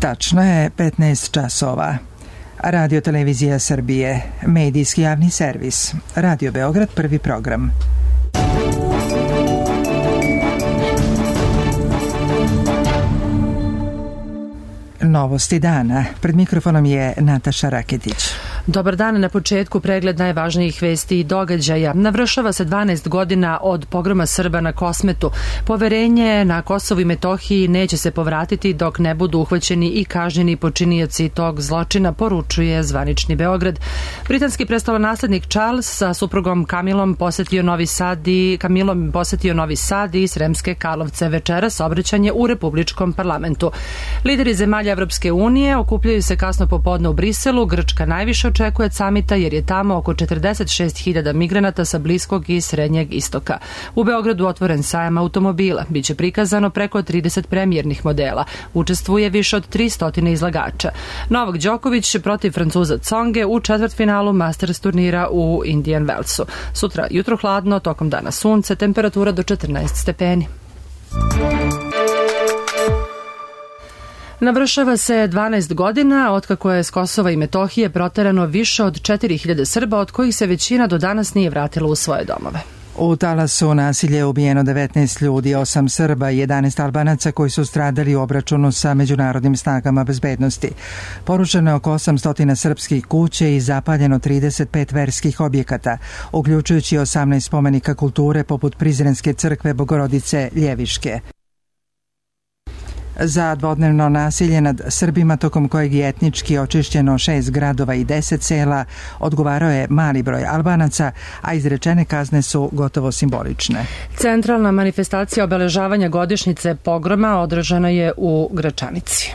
Tačno je 15 časova. Radio Televizija Srbije, medijski javni servis. Radio Beograd, prvi program. Novosti dana. Pred mikrofonom je Nataša Raketić. Dobar dan, na početku pregled najvažnijih vesti i događaja. Navršava se 12 godina od pogroma Srba na Kosmetu. Poverenje na Kosovu i Metohiji neće se povratiti dok ne budu uhvaćeni i kažnjeni počinioci tog zločina, poručuje zvanični Beograd. Britanski prestolonaslednik Charles sa suprugom Camilom posjetio Novi Sad i Sremske Karlovce večeras obraćanje u Republičkom parlamentu. Lideri zemalja Evropske unije okupljaju se kasno popodne u Briselu. Grčka najviše očekuje od samita jer je tamo oko 46.000 migranata sa Bliskog i Srednjeg istoka. U Beogradu otvoren sajam automobila. Biće prikazano preko 30 premijernih modela. Učestvuje više od 300 izlagača. Novak Đoković protiv Francuza Tsonge u četvrtfinalu Masters turnira u Indian Wellsu. Sutra jutro hladno, tokom dana sunce, temperatura do 14 stepeni. Navršava se 12 godina otkako je s Kosova i Metohije proterano više od 4.000 Srba, od kojih se većina do danas nije vratila u svoje domove. U talasu nasilje je ubijeno 19 ljudi, 8 Srba i 11 Albanaca koji su stradali u obračunu sa međunarodnim snagama bezbednosti. Porušeno je oko 800 srpskih kuća i zapaljeno 35 verskih objekata, uključujući 18 spomenika kulture poput Prizrenske crkve Bogorodice Ljeviške. Za dvodnevno nasilje nad Srbima, tokom kojeg je etnički očišćeno 6 gradova i 10 sela, odgovarao je mali broj Albanaca, a izrečene kazne su gotovo simbolične. Centralna manifestacija obeležavanja godišnjice pogroma održana je u Gračanici.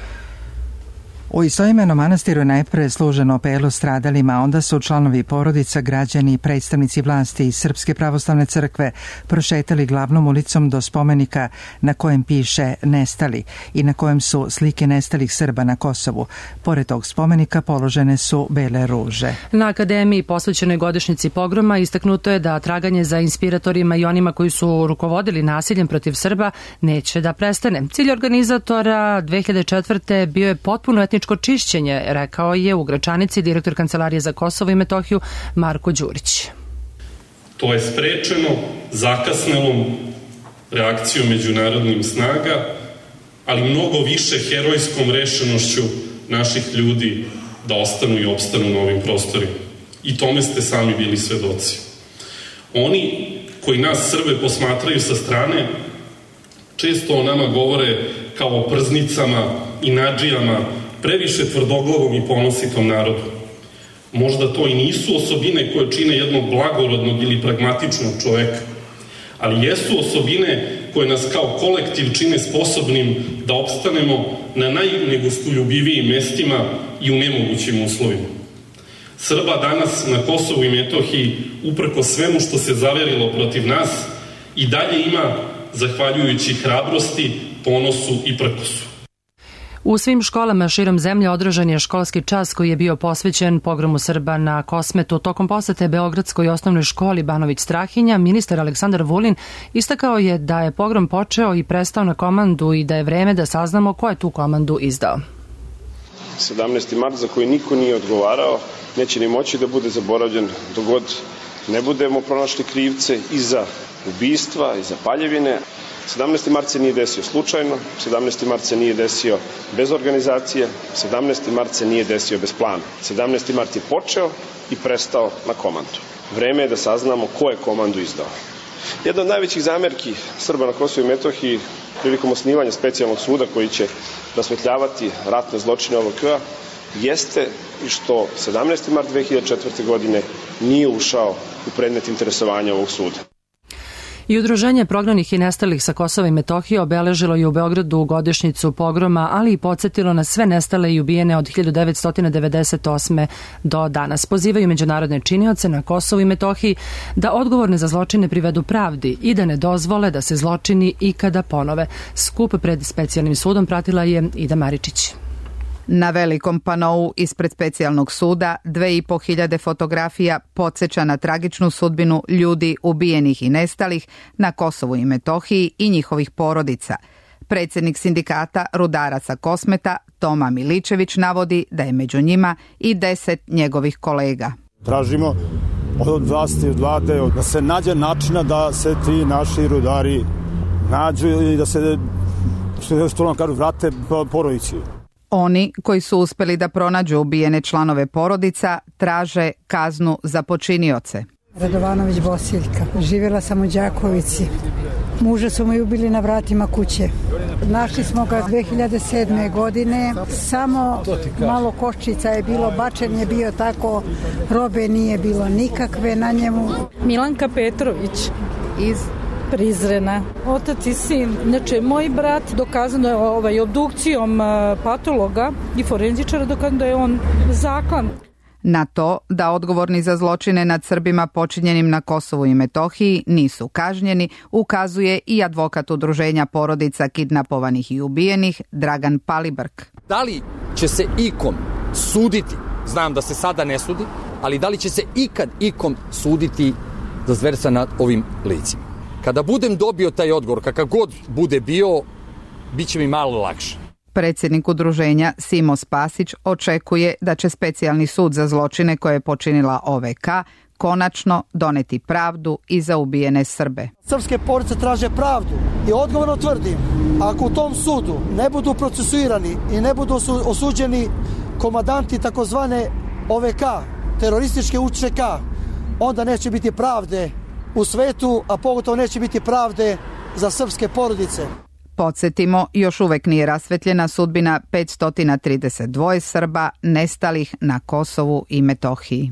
U istoimenom manastiru je najpre služeno apelu stradalima, a onda su članovi porodica, građani i predstavnici vlasti iz Srpske pravoslavne crkve prošetali glavnom ulicom do spomenika na kojem piše nestali i na kojem su slike nestalih Srba na Kosovu. Pored tog spomenika položene su bele ruže. Na akademiji posvećenoj godišnjici pogroma istaknuto je da traganje za inspiratorima i onima koji su rukovodili nasiljem protiv Srba neće da prestane. Cilj organizatora 2004. bio je potpuno etničko čišćenje, rekao je u Gračanici direktor Kancelarije za Kosovo i Metohiju Marko Đurić. To je sprečeno zakasnelom reakcijom međunarodnih snaga, ali mnogo više herojskom rešenošću naših ljudi da ostanu i opstanu na ovim prostorima. I tome ste sami bili svedoci. Oni koji nas Srbe posmatraju sa strane često o nama govore kao o prznicama i nadžijama, previše tvrdoglavom i ponositom narodu. Možda to i nisu osobine koje čine jednog blagorodnog ili pragmatičnog čoveka, ali jesu osobine koje nas kao kolektiv čine sposobnim da opstanemo na najnegostoljubivijim mestima i u nemogućim uslovima. Srba danas na Kosovu i Metohiji, uprko svemu što se zaverilo protiv nas, i dalje ima zahvaljujući hrabrosti, ponosu i prkosu. U svim školama širom zemlje održan je školski čas koji je bio posvećen pogromu Srba na Kosmetu. Tokom posete Beogradskoj osnovnoj školi Banović Strahinja, ministar Aleksandar Vulin istakao je da je pogrom počeo i prestao na komandu i da je vreme da saznamo ko je tu komandu izdao. 17. mart za koji niko nije odgovarao neće ni moći da bude zaboravljen dok god ne budemo pronašli krivce i za ubistva i za paljevine. 17. mart se nije desio slučajno, 17. mart se nije desio bez organizacije, 17. mart se nije desio bez plana. 17. mart je počeo i prestao na komandu. Vreme je da saznamo ko je komandu izdao. Jedna od najvećih zamerki Srba na Kosovu i Metohiji prilikom osnivanja specijalnog suda koji će rasvetljavati ratne zločine OVK-a jeste i što 17. mart 2004. godine nije ušao u predmet interesovanja ovog suda. I Udruženje prognanih i nestalih sa Kosova i Metohije obeležilo je u Beogradu godišnjicu pogroma, ali i podsjetilo na sve nestale i ubijene od 1998. do danas. Pozivaju međunarodne činioce na Kosovu i Metohiji da odgovorne za zločine privedu pravdi i da ne dozvole da se zločini ikada ponove. Skup pred specijalnim sudom pratila je Ida Maričić. Na velikom panou ispred specijalnog suda 2.500 fotografija podsjeća na tragičnu sudbinu ljudi ubijenih i nestalih na Kosovu i Metohiji i njihovih porodica. Predsjednik sindikata rudaraca Kosmeta Toma Miličević navodi da je među njima i 10 njegovih kolega. Tražimo od vlasti, od vlade, da se nađe načina da se ti naši rudari nađu i da se vrate porodici. Oni koji su uspjeli da pronađu ubijene članove porodica traže kaznu za počinioce. Radovanović Bosiljka. Živjela sam u Đakovici. Muža su mu ubili na vratima kuće. Našli smo ga 2007. godine. Samo malo koščica je bilo, bačen je bio tako, robe nije bilo nikakve na njemu. Milanka Petrović Iz Prizrena. Otac i sin. Znači, moj brat dokazano je obdukcijom patologa i forenzičara dokazano da je on zaklan. Na to da odgovorni za zločine nad Srbima počinjenim na Kosovu i Metohiji nisu kažnjeni, ukazuje i advokat udruženja porodica kidnapovanih i ubijenih Dragan Palibrk. Da li će se ikom suditi, znam da se sada ne sudi, ali da li će se ikad ikom suditi za zverstva nad ovim licima? Kada budem dobio taj odgovor, kakav god bude bio, bit će mi malo lakše. Predsjednik udruženja Simo Spasić očekuje da će specijalni sud za zločine koje je počinila OVK konačno doneti pravdu i za ubijene Srbe. Srpske porodice traže pravdu i odgovorno tvrdim, ako u tom sudu ne budu procesuirani i ne budu osuđeni komandanti takozvane OVK, terorističke UČK, onda neće biti pravde u svetu, a pogotovo neće biti pravde za srpske porodice. Podsjetimo, još uvek nije rasvetljena sudbina 532 Srba nestalih na Kosovu i Metohiji.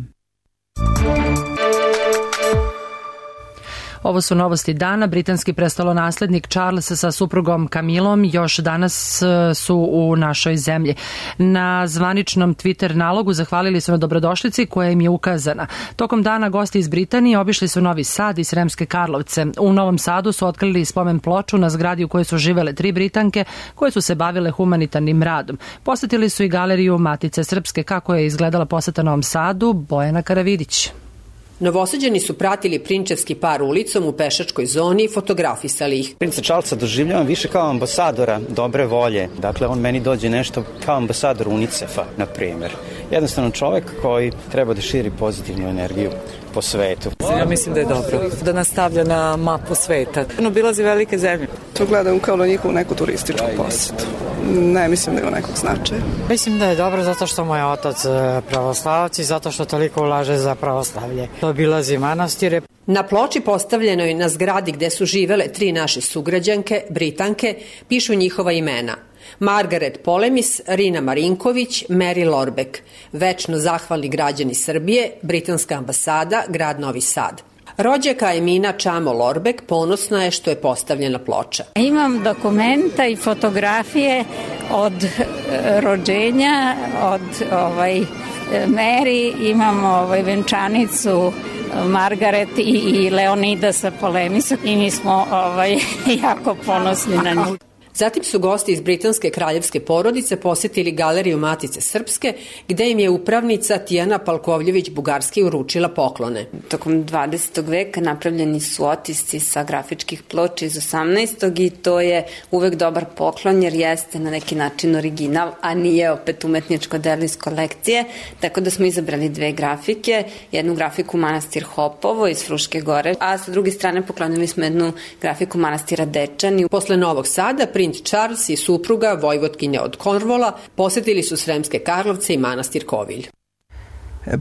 Ovo su novosti dana. Britanski prestolonaslednik Charles sa suprugom Camillom još danas su u našoj zemlji. Na zvaničnom Twitter nalogu zahvalili su na dobrodošlici koja im je ukazana. Tokom dana gosti iz Britanije obišli su Novi Sad i Sremske Karlovce. U Novom Sadu su otkrili spomen ploču na zgradi u kojoj su živele 3 Britanke koje su se bavile humanitarnim radom. Posetili su i galeriju Matice Srpske. Kako je izgledala poseta Novom Sadu? Bojana Karavidić. Novosađani su pratili prinčevski par ulicom u pešačkoj zoni i fotografisali ih. Princa Charlesa doživljavam više kao ambasadora dobre volje. Dakle, on meni dođe nešto kao ambasador UNICEF-a, na primjer. Jednostavno čovjek koji treba da širi pozitivnu energiju po svetu. Ja mislim da je dobro da nastavlja na mapu sveta. Obilazi velike zemlje. To gledam kao na njihovu neku turističku posetu. Ne mislim da ima nekog značaja. Mislim da je dobro zato što moj otac pravoslavac i zato što toliko ulaže za pravoslavlje. Obilazi manastire. Na ploči postavljenoj na zgradi gde su živele 3 naše sugrađanke, Britanke, pišu njihova imena. Margaret Polemis, Rina Marinković, Mary Lorbek. Večno zahvalni građani Srbije, Britanska ambasada, grad Novi Sad. Rođaka Emina Čamo Lorbek ponosna je što je postavljena ploča. Imam dokumenta i fotografije od rođenja, od Mary, imam venčanicu Margaret i Leonidasa Polemisa i mi smo jako ponosni na njih. Zatim su gosti iz britanske kraljevske porodice posjetili galeriju Matice Srpske, gde im je upravnica Tijana Palkovljević-Bugarski uručila poklone. Tokom 20. veka napravljeni su otisci sa grafičkih ploča iz 18. i to je uvek dobar poklon jer jeste na neki način original, a nije opet umetničko delo iz kolekcije, tako da smo izabrali 2 grafike, jednu grafiku manastir Hopovo iz Fruške gore, a sa druge strane poklonili smo jednu grafiku manastira Dečani. Posle Novog Sada, princ Charles i supruga, vojvotkinja od Cornwalla, posjetili su Sremske Karlovce i manastir Kovilj.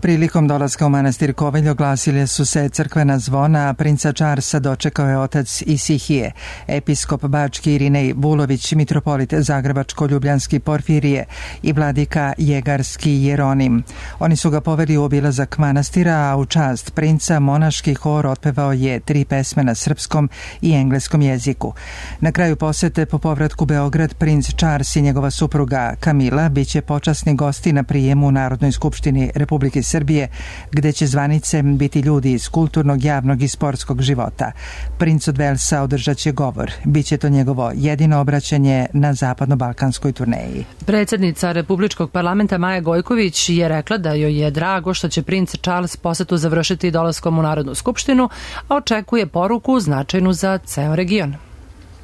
Prilikom dolaska u manastir Kovilj oglasile su se crkvena zvona, a princa Charlesa dočekao je otac Isihije, episkop Bački Irinej Vulović, mitropolit Zagrebačko-Ljubljanski Porfirije i vladika Jegarski Jeronim. Oni su ga poveli u obilazak manastira, a u čast princa monaški hor otpevao je 3 pesme na srpskom i engleskom jeziku. Na kraju posete po povratku Beograd, princ Charles i njegova supruga Camilla biće počasni gosti na prijemu u Narodnoj skupštini Republike Srbije, gde će zvanice biti ljudi iz kulturnog, javnog i sportskog života. Princ od Velsa održat će govor. Biće to njegovo jedino obraćanje na zapadno-balkanskoj turneji. Predsjednica Republičkog parlamenta Maja Gojković je rekla da joj je drago što će princ Charles posetu završiti dolaskom u Narodnu skupštinu, a očekuje poruku značajnu za ceo region.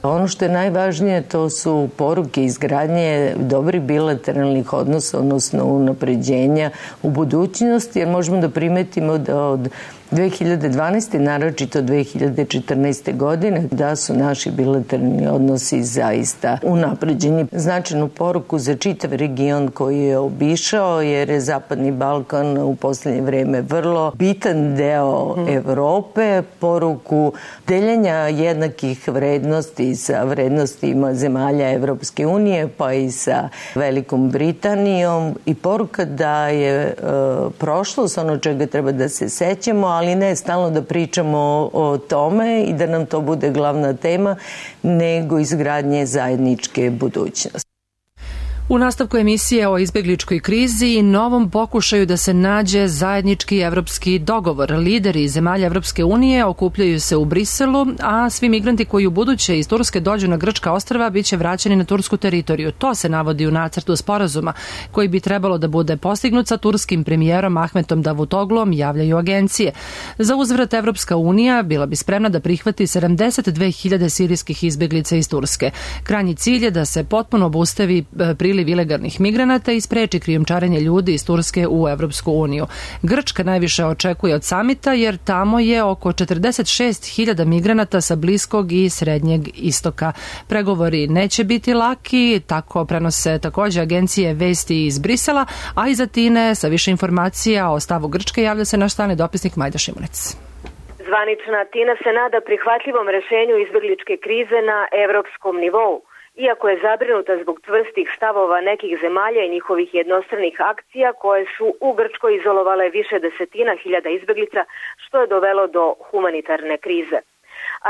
Ono što je najvažnije to su poruke izgradnje dobrih bilateralnih odnosa, odnosno unapređenja u budućnosti, jer možemo da primetimo da od 2012. naročito 2014. godine da su naši bilateralni odnosi zaista unapređeni. Značajnu poruku za čitav region koji je obišao, jer je Zapadni Balkan u poslednje vreme vrlo bitan deo Evrope, poruku deljenja jednakih vrednosti sa vrednostima zemalja Evropske unije pa i sa Velikom Britanijom i poruka da je prošlost ono čega treba da se sećamo, ali ne stalno da pričamo o tome i da nam to bude glavna tema, nego izgradnje zajedničke budućnosti. U nastavku emisije o izbegličkoj krizi i novom pokušaju da se nađe zajednički evropski dogovor. Lideri zemalja Evropske unije okupljaju se u Briselu, a svi migranti koji u buduće iz Turske dođu na grčka ostrva biće vraćeni na tursku teritoriju. To se navodi u nacrtu sporazuma koji bi trebalo da bude postignut sa turskim premijerom Ahmetom Davutoglom, javljaju agencije. Za uzvrat Evropska unija bila bi spremna da prihvati 72.000 sirijskih izbeglica iz Turske. Krajnji cilj je da se potpuno obustavi priliv ilegalnih migranata i spreči krijumčarenje ljudi iz Turske u Evropsku uniju. Grčka najviše očekuje od samita jer tamo je oko 46.000 migranata sa Bliskog i Srednjeg istoka. Pregovori neće biti laki, tako prenose takođe agencije vesti iz Brisela, a iz Atine sa više informacija o stavu Grčke javlja se naš stalni dopisnik Majda Šimunec. Zvanična Atina se nada prihvatljivom rešenju izbegličke krize na evropskom nivou. Iako je zabrinuta zbog čvrstih stavova nekih zemalja i njihovih jednostranih akcija koje su u Grčkoj izolovale više desetina hiljada izbeglica, što je dovelo do humanitarne krize.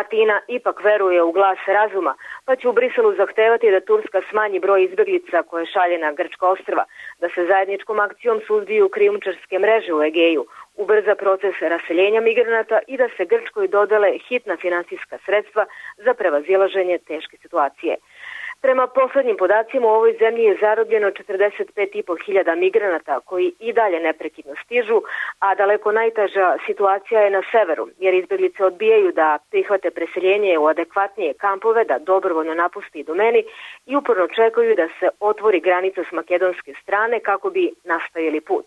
Atina ipak veruje u glas razuma, pa će u Briselu zahtevati da Turska smanji broj izbeglica koje šalje na grčka ostrva, da se zajedničkom akcijom suzbiju krijumčarske mreže u Egeju, ubrza proces raseljenja migranata i da se Grčkoj dodele hitna finansijska sredstva za prevazilaženje teške situacije. Prema poslednjim podacima u ovoj zemlji je zarobljeno 45.500 migranata koji i dalje neprekidno stižu, a daleko najteža situacija je na severu, jer izbeglice odbijaju da prihvate preseljenje u adekvatnije kampove, da dobrovoljno napusti domeni i uporno čekaju da se otvori granica s makedonske strane kako bi nastavili put.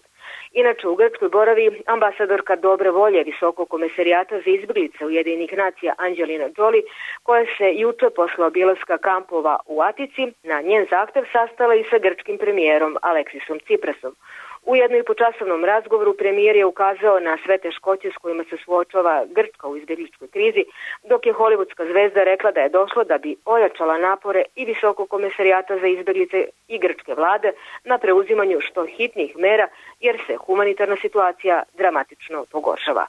Inače, u Grčkoj boravi ambasadorka dobre volje Visokog komesarijata za izbeglice Ujedinjenih nacija Anđelina Đoli, koja se juče posle obilaska kampova u Atici na njen zahtev sastala i sa grčkim premijerom Aleksisom Ciprasom. U jednoipočasovnom razgovoru premijer je ukazao na sve teškoće s kojima se suočava Grčka u izbegličkoj krizi, dok je hollywoodska zvezda rekla da je došlo da bi ojačala napore i Visokog komesarijata za izbeglice i grčke vlade na preuzimanju što hitnijih mera, jer se humanitarna situacija dramatično pogoršava.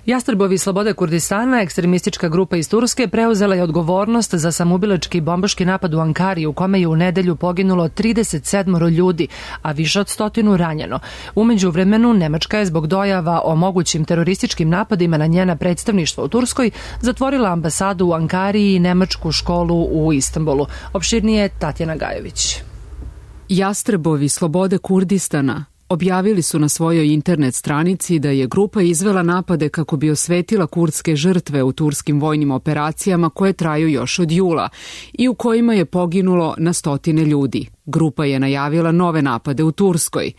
Jastrebovi slobode Kurdistana, ekstremistička grupa iz Turske, preuzela je odgovornost za samoubilački bombaški napad u Ankari u kome je u nedelju poginulo 37 ljudi, a više od 100 ranjeno. Umeđu vremenu, Nemačka je zbog dojava o mogućim terorističkim napadima na njena predstavništva u Turskoj zatvorila ambasadu u Ankari i nemačku školu u Istanbulu. Opširnije Tatjana Gajović. Jastrebovi slobode Kurdistana objavili su na svojoj internet stranici da je grupa izvela napade kako bi osvetila kurdske žrtve u turskim vojnim operacijama koje traju još od jula i u kojima je poginulo na stotine ljudi. Grupa je najavila nove napade u Turskoj.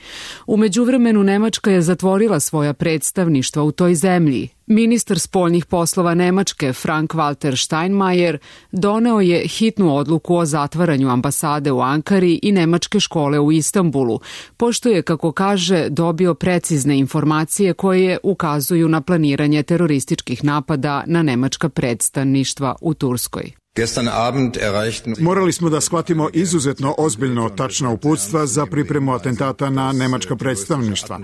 U međuvremenu Nemačka je zatvorila svoja predstavništva u toj zemlji. Ministar spoljnih poslova Nemačke Frank-Walter Steinmeier doneo je hitnu odluku o zatvaranju ambasade u Ankari i nemačke škole u Istanbulu, pošto je, kako kaže, dobio precizne informacije koje ukazuju na planiranje terorističkih napada na nemačka predstavništva u Turskoj. Morali smo da shvatimo izuzetno ozbiljno tačna uputstva za pripremu atentata na nemačka predstavništva.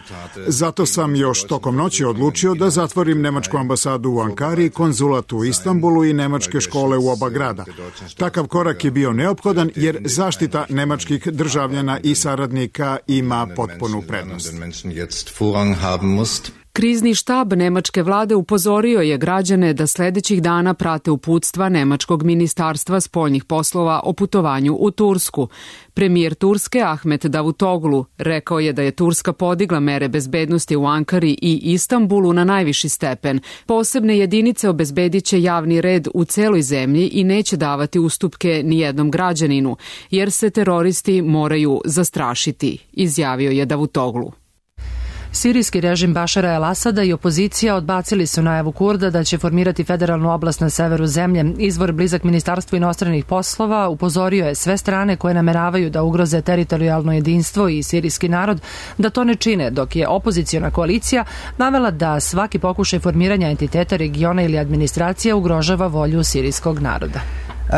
Zato sam još tokom noći odlučio da zatvorim nemačku ambasadu u Ankari, konzulat u Istanbulu i nemačke škole u oba grada. Takav korak je bio neophodan jer zaštita nemačkih državljana i saradnika ima potpunu prednost. Krizni štab nemačke vlade upozorio je građane da sledećih dana prate uputstva nemačkog ministarstva spoljnih poslova o putovanju u Tursku. Premijer Turske Ahmet Davutoglu rekao je da je Turska podigla mere bezbednosti u Ankari i Istanbulu na najviši stepen. Posebne jedinice obezbediće javni red u celoj zemlji i neće davati ustupke ni jednom građaninu, jer se teroristi moraju zastrašiti, izjavio je Davutoglu. Sirijski režim Bašara el-Asada i opozicija odbacili su najavu Kurda da će formirati federalnu oblast na severu zemlje. Izvor blizak Ministarstvu inostranih poslova upozorio je sve strane koje nameravaju da ugroze teritorijalno jedinstvo i sirijski narod da to ne čine, dok je opoziciona koalicija navela da svaki pokušaj formiranja entiteta regiona ili administracija ugrožava volju sirijskog naroda.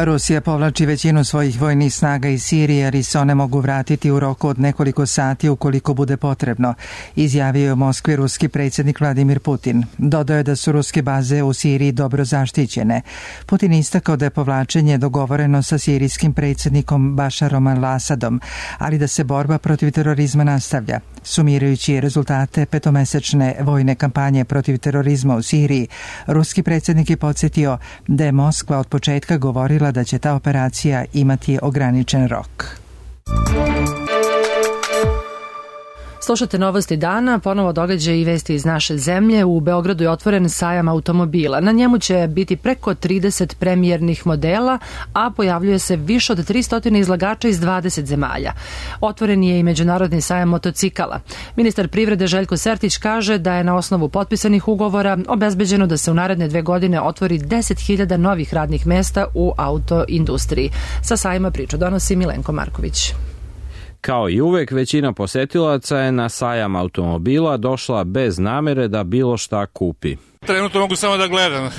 Rusija povlači većinu svojih vojnih snaga iz Sirije, jer se one mogu vratiti u roku od nekoliko sati ukoliko bude potrebno, izjavio je u Moskvi ruski predsjednik Vladimir Putin. Dodao je da su ruske baze u Siriji dobro zaštićene. Putin istakao da je povlačenje dogovoreno sa sirijskim predsjednikom Bašarom al-Asadom, ali da se borba protiv terorizma nastavlja. Sumirajući rezultate petomesečne vojne kampanje protiv terorizma u Siriji, ruski predsjednik je podsjetio da je Moskva od početka govorila da će ta operacija imati ograničen rok. Slušate novosti dana, ponovo događaje i vesti iz naše zemlje. U Beogradu je otvoren sajam automobila. Na njemu će biti preko 30 premijernih modela, a pojavljuje se više od 300 izlagača iz 20 zemalja. Otvoren je i međunarodni sajam motocikala. Ministar privrede Željko Sertić kaže da je na osnovu potpisanih ugovora obezbeđeno da se u naredne 2 godine otvori 10.000 novih radnih mesta u autoindustriji. Sa sajma priču donosi Milenko Marković. Kao i uvek, većina posetilaca je na sajam automobila došla bez namere da bilo šta kupi. Trenutno mogu samo da gledam,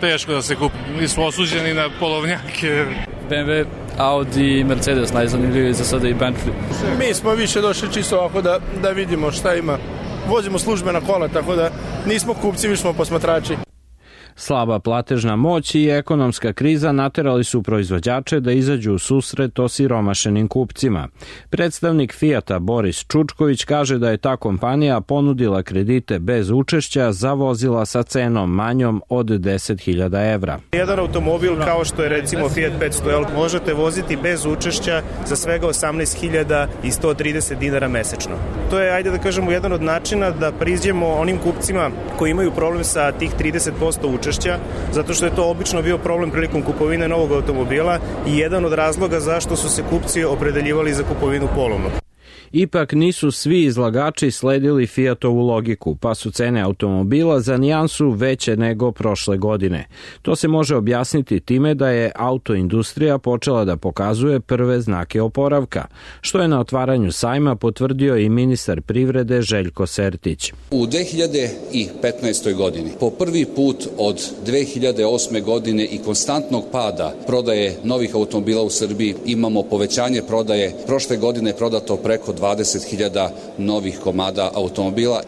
teško da se kupi. Mi smo osuđeni na polovnjake. BMW, Audi, Mercedes najzanimljiviji za sada i Bentley. Mi smo više došli čisto ovako da vidimo šta ima. Vozimo službena kola, tako da nismo kupci, više smo posmatrači. Slaba platežna moć i ekonomska kriza naterali su proizvođače da izađu u susret osiromašenim kupcima. Predstavnik Fijata Boris Čučković kaže da je ta kompanija ponudila kredite bez učešća za vozila sa cenom manjom od 10.000 evra. Jedan automobil kao što je recimo Fiat 500L možete voziti bez učešća za svega 18.130 dinara mesečno. To je, ajde da kažemo, jedan od načina da priđemo onim kupcima koji imaju problem sa tih 30% učešća, zato što je to obično bio problem prilikom kupovine novog automobila i jedan od razloga zašto su se kupci opredeljivali za kupovinu polovnog. Ipak nisu svi izlagači sledili Fijatovu logiku, pa su cene automobila za nijansu veće nego prošle godine. To se može objasniti time da je autoindustrija počela da pokazuje prve znake oporavka, što je na otvaranju sajma potvrdio i ministar privrede Željko Sertić. U 2015. godini, po prvi put od 2008. godine i konstantnog pada prodaje novih automobila u Srbiji, imamo povećanje prodaje. Prošle godine je prodato preko 20.000 novih komada automobila.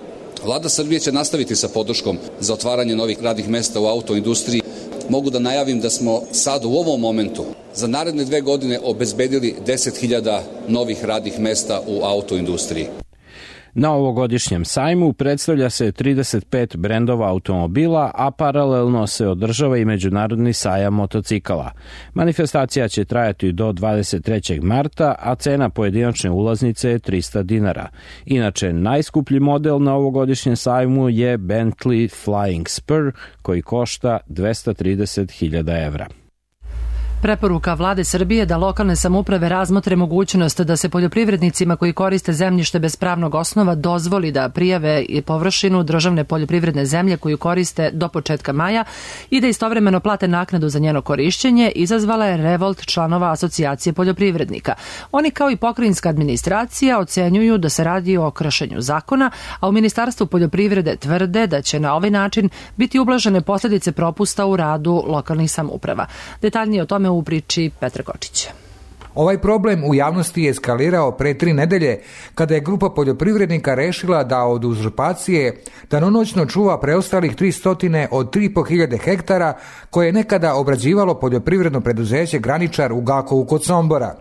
Vlada Srbije će nastaviti sa podrškom za otvaranje novih radnih mesta u autoindustriji. Mogu da najavim da smo sad u ovom momentu za naredne 2 godine obezbedili 10.000 novih radnih mesta u autoindustriji. Na ovogodišnjem sajmu predstavlja se 35 brendova automobila, a paralelno se održava i međunarodni sajam motocikala. Manifestacija će trajati do 23. marta, a cena pojedinačne ulaznice je 300 dinara. Inače, najskuplji model na ovogodišnjem sajmu je Bentley Flying Spur, koji košta 230.000 evra. Preporuka Vlade Srbije da lokalne samouprave razmotre mogućnost da se poljoprivrednicima koji koriste zemljište bez pravnog osnova dozvoli da prijave i površinu državne poljoprivredne zemlje koju koriste do početka maja i da istovremeno plate naknadu za njeno korišćenje, izazvala je revolt članova Asocijacije poljoprivrednika. Oni kao i pokrajinska administracija ocenjuju da se radi o kršenju zakona, a u Ministarstvu poljoprivrede tvrde da će na ovaj način biti ublažene posljedice propusta u radu lokalnih samouprava. Detaljnije o tome u priči Petra Kočića. Ovaj problem u javnosti je eskalirao pre 3 nedelje kada je grupa poljoprivrednika rešila da od uzurpacije danonoćno čuva preostalih 300 od 3.500 hektara koje je nekada obrađivalo poljoprivredno preduzeće Graničar u Gakovu kod Sombora.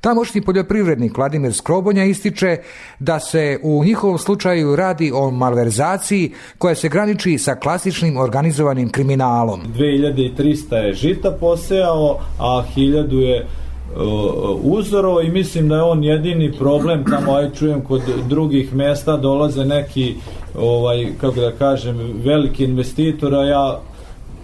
Tamošnji poljoprivrednik Vladimir Skrobonja ističe da se u njihovom slučaju radi o malverzaciji koja se graniči sa klasičnim organizovanim kriminalom. 2300 je žita posejao, a 1000 je uzorovo i mislim da je on jedini problem. Tamo čujem kod drugih mesta dolaze neki kako da kažem veliki investitora, ja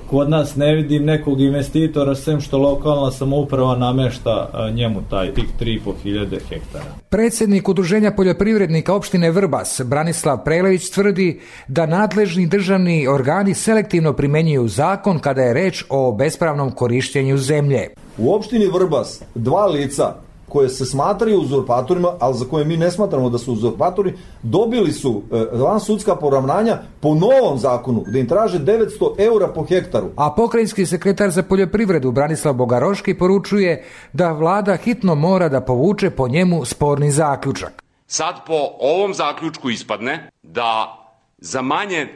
kod nas ne vidim nekog investitora sem što lokalna samouprava namešta njemu tih 3500 hektara. Predsjednik Udruženja poljoprivrednika opštine Vrbas, Branislav Prelević, tvrdi da nadležni državni organi selektivno primenjuju zakon kada je reč o bespravnom korištenju zemlje. U opštini Vrbas 2 lica koje se smatraju uzurpatorima, ali za koje mi ne smatramo da su uzurpatori, dobili su vansudska poravnanja po novom zakonu, gde im traže 900 eura po hektaru. A pokrajinski sekretar za poljoprivredu Branislav Bogaroški poručuje da vlada hitno mora da povuče po njemu sporni zaključak. Sad po ovom zaključku ispadne da za manje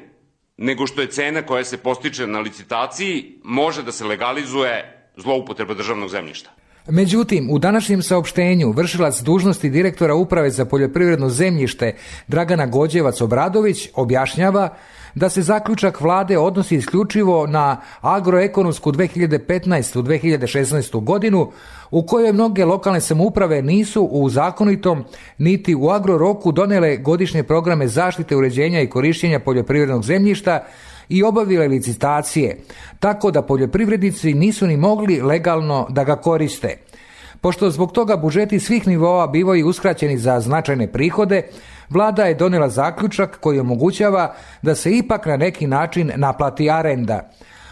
nego što je cena koja se postiče na licitaciji može da se legalizuje zloupotreba državnog zemljišta. Međutim, u današnjem saopštenju vršilac dužnosti direktora Uprave za poljoprivredno zemljište Dragana Gođevac-Obradović objašnjava da se zaključak vlade odnosi isključivo na agroekonomsku 2015-2016 godinu, u kojoj mnoge lokalne samouprave nisu u zakonitom niti u agroroku donele godišnje programe zaštite, uređenja i korištenja poljoprivrednog zemljišta i obavile licitacije, tako da poljoprivrednici nisu ni mogli legalno da ga koriste. Pošto zbog toga budžeti svih nivoa bivaju uskraćeni za značajne prihode, vlada je donela zaključak koji omogućava da se ipak na neki način naplati arenda.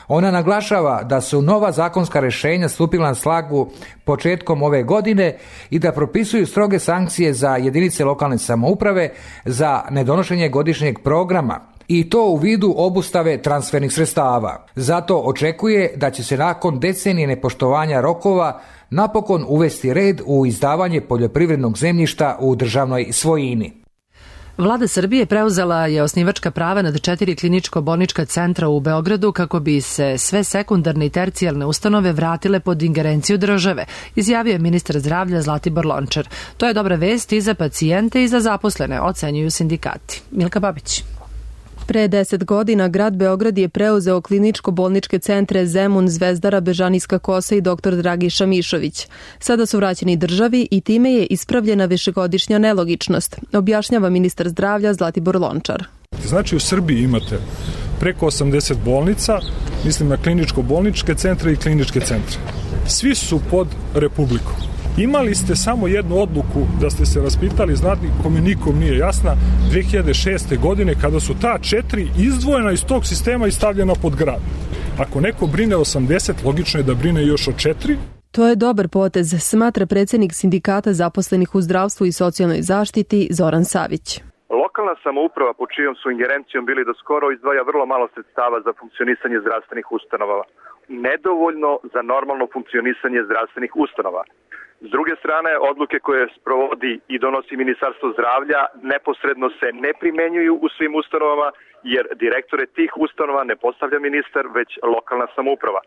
Ona naglašava da su nova zakonska rješenja stupila na snagu početkom ove godine i da propisuju stroge sankcije za jedinice lokalne samouprave za nedonošenje godišnjeg programa, i to u vidu obustave transfernih sredstava. Zato očekuje da će se nakon decenije nepoštovanja rokova napokon uvesti red u izdavanje poljoprivrednog zemljišta u državnoj svojini. Vlada Srbije preuzela je osnivačka prava nad 4 kliničko-bolnička centra u Beogradu kako bi se sve sekundarne i tercijalne ustanove vratile pod ingerenciju države, izjavio je ministar zdravlja Zlatibor Lončar. To je dobra vest i za pacijente i za zaposlene, ocenjuju sindikati. Milka Babić. Pre 10 godina grad Beograd je preuzeo kliničko-bolničke centre Zemun, Zvezdara, Bežanijska Kosa i dr. Dragiša Mišović. Sada su vraćeni državi i time je ispravljena višegodišnja nelogičnost, objašnjava ministar zdravlja Zlatibor Lončar. Znači u Srbiji imate preko 80 bolnica, mislim na kliničko-bolničke centre i kliničke centre. Svi su pod Republikom. Imali ste samo jednu odluku da ste se raspitali, znati kome nikom nije jasna, 2006. godine kada su ta 4 izdvojena iz tog sistema i stavljena pod grad. Ako neko brine 80, logično je da brine još o 4. To je dobar potez, smatra predsjednik sindikata zaposlenih u zdravstvu i socijalnoj zaštiti Zoran Savić. Lokalna samouprava po čijom su ingerencijom bili do skoro izdvaja vrlo malo sredstava za funkcionisanje zdravstvenih ustanova. Nedovoljno za normalno funkcionisanje zdravstvenih ustanova. S druge strane, odluke koje sprovodi i donosi Ministarstvo zdravlja neposredno se ne primenjuju u svim ustanovama, jer direktore tih ustanova ne postavlja ministar, već lokalna samouprava.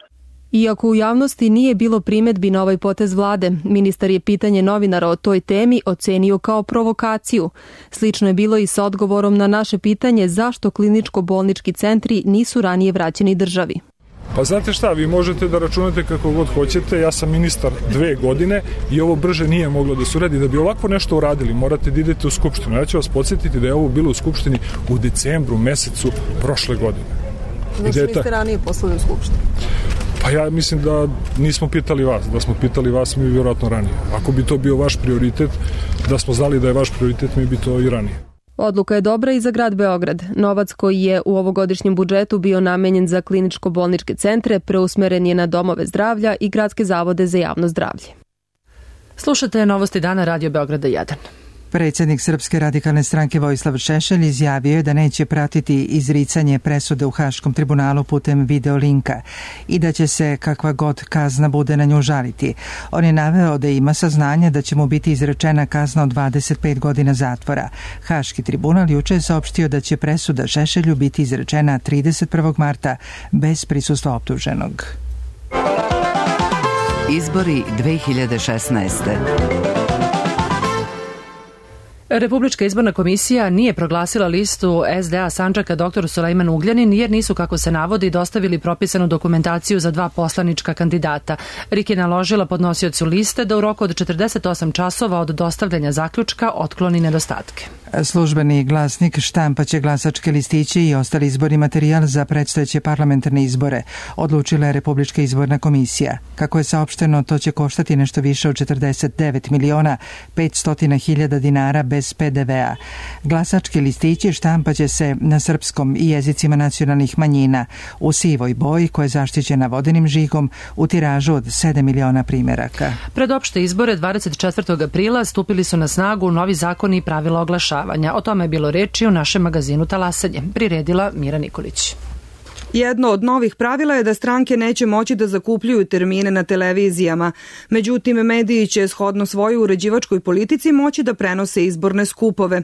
Iako u javnosti nije bilo primedbi na ovaj potez vlade, ministar je pitanje novinara o toj temi ocenio kao provokaciju. Slično je bilo i sa odgovorom na naše pitanje zašto kliničko-bolnički centri nisu ranije vraćeni državi. Pa znate šta, vi možete da računate kako god hoćete, ja sam ministar 2 godine i ovo brže nije moglo da se uradi. Da bi ovako nešto uradili, morate da idete u Skupštinu. Ja ću vas podsjetiti da je ovo bilo u Skupštini u decembru mesecu prošle godine. Zašto niste ranije poslali u Skupštinu? Pa ja mislim da nismo pitali vas, da smo pitali vas mi vjerojatno ranije. Ako bi to bio vaš prioritet, da smo znali da je vaš prioritet, mi bi to i ranije. Odluka je dobra i za grad Beograd. Novac koji je u ovogodišnjem budžetu bio namenjen za kliničko-bolničke centre preusmeren je na domove zdravlja i gradske zavode za javno zdravlje. Slušate Novosti dana Radio Beograda 1. Predsjednik Srpske radikalne stranke Vojislav Šešelj izjavio je da neće pratiti izricanje presude u Haškom tribunalu putem videolinka i da će se kakva god kazna bude na nju žaliti. On je naveo da ima saznanje da će mu biti izrečena kazna od 25 godina zatvora. Haški tribunal juče je saopštio da će presuda Šešelju biti izrečena 31. marta bez prisustva optuženog. Izbori 2016. Republička izborna komisija nije proglasila listu SDA Sandžaka dr. Sulejman Ugljanin jer nisu, kako se navodi, dostavili propisanu dokumentaciju za 2 poslanička kandidata. RIK je naložila podnosiocu liste da u roku od 48 časova od dostavljanja zaključka otkloni nedostatke. Službeni glasnik štampaće glasačke listiće i ostali izborni materijal za predstojeće parlamentarne izbore, odlučila je Republička izborna komisija. Kako je saopšteno, to će koštati nešto više od 49.500.000 dinara bez PDV-a. Glasački listići štampaće se na srpskom i jezicima nacionalnih manjina u sivoj boji koja je zaštićena vodenim žigom u tiražu od 7 miliona primjeraka. Pred opšte izbore 24. aprila stupili su na snagu novi zakoni i pravila oglašavanja. O tome je bilo reči u našem magazinu Talasanje. Priredila Mira Nikolić. Jedno od novih pravila je da stranke neće moći da zakupljuju termine na televizijama. Međutim, mediji će shodno svojoj uređivačkoj politici moći da prenose izborne skupove.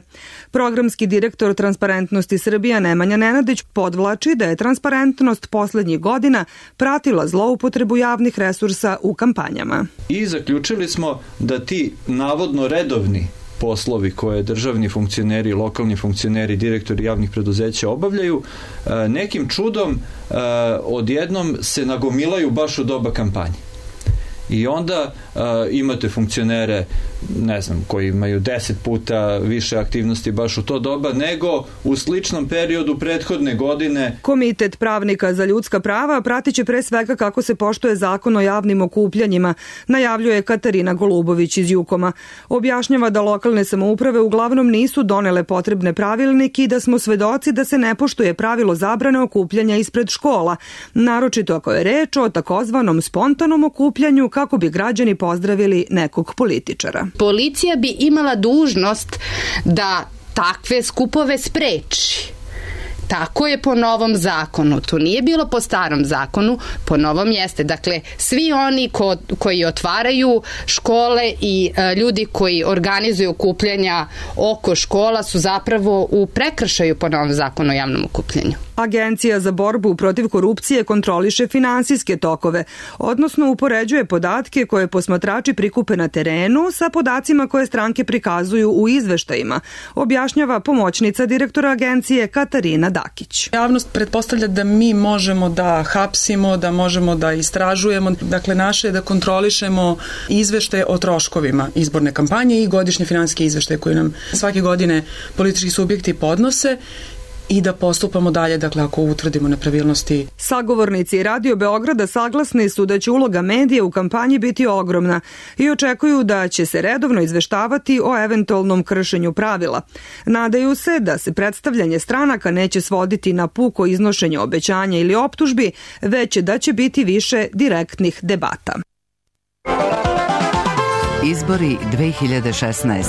Programski direktor Transparentnosti Srbija Nemanja Nenadić podvlači da je transparentnost poslednjih godina pratila zloupotrebu javnih resursa u kampanjama. I zaključili smo da ti navodno redovni poslovi koje državni funkcioneri, lokalni funkcioneri, direktori javnih preduzeća obavljaju, nekim čudom odjednom se nagomilaju baš u doba kampanje. I onda imate funkcionere, ne znam, koji imaju 10 puta više aktivnosti baš u to doba nego u sličnom periodu prethodne godine. Komitet pravnika za ljudska prava pratiće pre svega kako se poštuje zakon o javnim okupljanjima, najavljuje Katarina Golubović iz Jukoma. Objašnjava da lokalne samouprave uglavnom nisu donele potrebne pravilnike i da smo svedoci da se ne poštuje pravilo zabrane okupljanja ispred škola, naročito ako je reč o takozvanom spontanom okupljanju kako bi građani pozdravili nekog političara. Policija bi imala dužnost da takve skupove spreči. Tako je po novom zakonu. To nije bilo po starom zakonu, po novom jeste. Dakle, svi oni koji otvaraju škole i ljudi koji organizuju okupljanja oko škola su zapravo u prekršaju po novom zakonu o javnom okupljanju. Agencija za borbu protiv korupcije kontroliše finansijske tokove, odnosno upoređuje podatke koje posmatrači prikupe na terenu sa podacima koje stranke prikazuju u izveštajima, objašnjava pomoćnica direktora agencije Katarina Dakić. Javnost pretpostavlja da mi možemo da hapsimo, da možemo da istražujemo. Dakle, naše je da kontrolišemo izveštaje o troškovima izborne kampanje i godišnje finansijske izveštaje koje nam svake godine politički subjekti podnose i da postupamo dalje, dakle, ako utvrdimo nepravilnosti. Sagovornici Radio Beograda saglasni su da će uloga medija u kampanji biti ogromna i očekuju da će se redovno izveštavati o eventualnom kršenju pravila. Nadaju se da se predstavljanje stranaka neće svoditi na puko iznošenje obećanja ili optužbi, već da će biti više direktnih debata. Izbori 2016.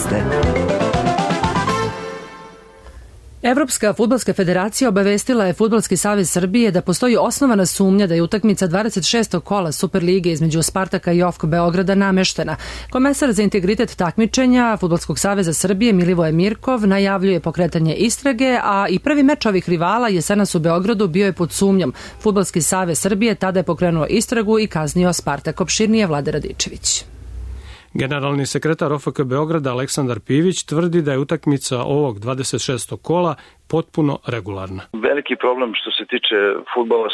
Evropska fudbalska federacija obavestila je Fudbalski savez Srbije da postoji osnovana sumnja da je utakmica 26. kola Superlige između Spartaka i OFK Beograda nameštena. Komesar za integritet takmičenja Fudbalskog saveza Srbije Milivoje Mirkov najavljuje pokretanje istrage, a i prvi meč ovih rivala jesenas u Beogradu bio je pod sumnjom. Fudbalski savez Srbije tada je pokrenuo istragu i kaznio Spartak. Opširnije Vlada Radičević. Generalni sekretar OFK Beograda Aleksandar Pivić tvrdi da je utakmica ovog 26. kola potpuno regularna. Veliki problem što se tiče fudbala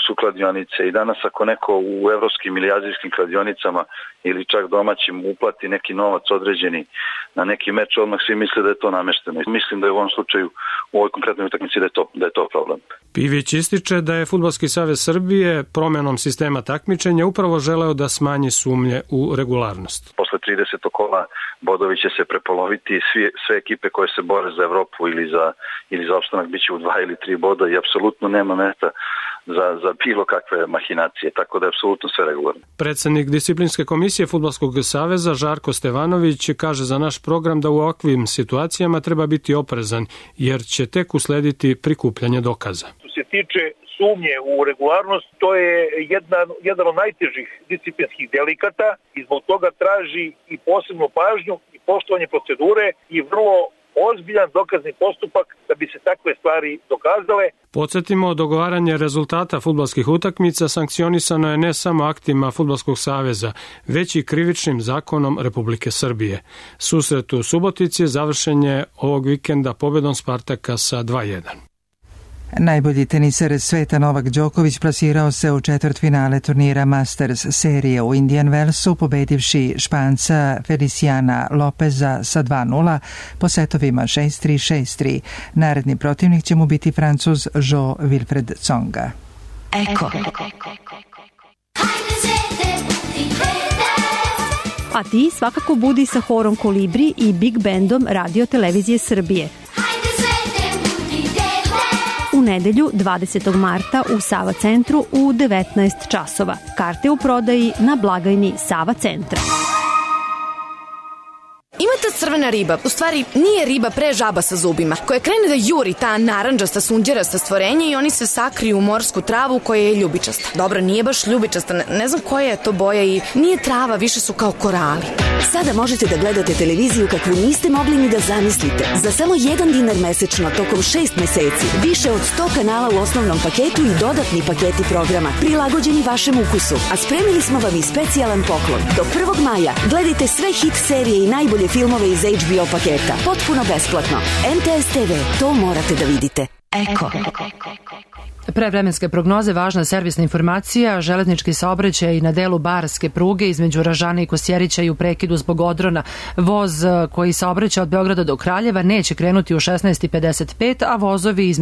su kladionice i danas ako neko u evropskim ili azijskim kladionicama ili čak domaćim uplati neki novac određeni na neki meč, odmah svi misle da je to namešteno. Mislim da je u ovom slučaju, u ovoj konkretnoj utakmici da je to problem. Pivić ističe da je Fudbalski savez Srbije promenom sistema takmičenja upravo želeo da smanji sumnje u regularnost. Posle 30. kola bodovi će se prepoloviti, sve ekipe koje se bore za Evropu ili za opstanak biće u 2 ili 3 boda i apsolutno nema mesta za bilo kakve mahinacije, tako da je apsolutno sve regularno. Predsednik disciplinske komisije Fudbalskog saveza Žarko Stevanović kaže za naš program da u ovakvim situacijama treba biti oprezan, jer će tek uslediti prikupljanje dokaza. Što se tiče sumnje u regularnost, to je jedan od najtežih disciplinskih delikata i zbog toga traži i posebnu pažnju i poštovanje procedure i vrlo ozbiljan dokazni postupak da bi se takve stvari dokazale. Podsjetimo, dogovaranje rezultata fudbalskih utakmica sankcionisano je ne samo aktima Fudbalskog saveza, već i krivičnim zakonom Republike Srbije. Susret u Subotici završen je ovog vikenda pobedom Spartaka sa 2:1. Najbolji teniser sveta Novak Đoković plasirao se u četvrtfinale turnira Masters serije u Indian Wellsu, pobedivši Španca Feliciana Lopeza sa 2:0 po setovima 6-3, 6-3. Naredni protivnik će mu biti Francuz Jo Wilfred Tsonga. Eko. A ti svakako budi sa horom Kolibri i Big Bandom Radio Televizije Srbije. U nedelju 20. marta u Sava centru u 19 časova. Karte u prodaji na blagajni Sava centra. Ima ta crvena riba, u stvari nije riba, pre žaba sa zubima, koja krene da juri ta narandžasta sunđerasta stvorenje i oni se sakriju u morsku travu koja je ljubičasta. Dobro, nije baš ljubičasta, ne znam koja je to boja i nije trava, više su kao korali. Sada možete da gledate televiziju kakvu niste mogli ni da zamislite. Za samo $1 mesečno tokom 6 meseci, više od 100 kanala u osnovnom paketu i dodatni paketi programa, prilagođeni vašem ukusu. A spremili smo vam i specijalan poklon. Do 1. maja gledajte sve hit serije i najbolje filmove iz HBO paketa. Potpuno besplatno. MTS TV, to morate da vidite. Eko. Pre vremenske prognoze važna servisna informacija, železnički saobraćaj na delu barske pruge između Ražane i Kosjerića i u prekidu zbog odrona. Voz koji saobraća od Beograda do Kraljeva neće krenuti u 16:55, a vozovi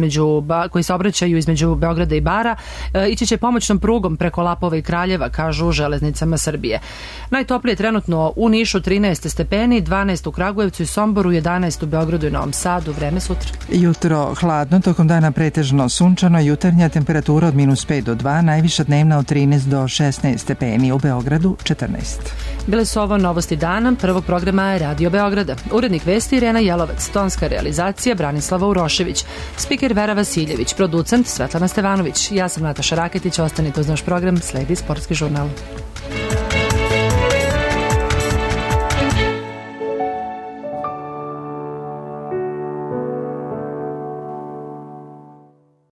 koji saobraćaju između Beograda i Bara ići će pomoćnom prugom preko Lapova i Kraljeva, kažu u Železnicama Srbije. Najtoplije trenutno u Nišu 13 stepeni, 12 u Kragujevcu i Somboru, 11 u Beogradu i Novom Sadu. Vreme sutra. Jutro hladno, tokom dana pretežno sunčano, jutarnja temperatura od -5 do 2, najviša dnevna od 13 do 16 stepeni, u Beogradu 14. Bile su ovo novosti dana prvog programa Radio Beograda. Urednik vesti Irena Jelovac, tonska realizacija Branislava Urošević, spiker Vera Vasiljević, producent Svetlana Stevanović. Ja sam Nataša Raketić, ostanite uz naš program, sledi Sportski žurnal.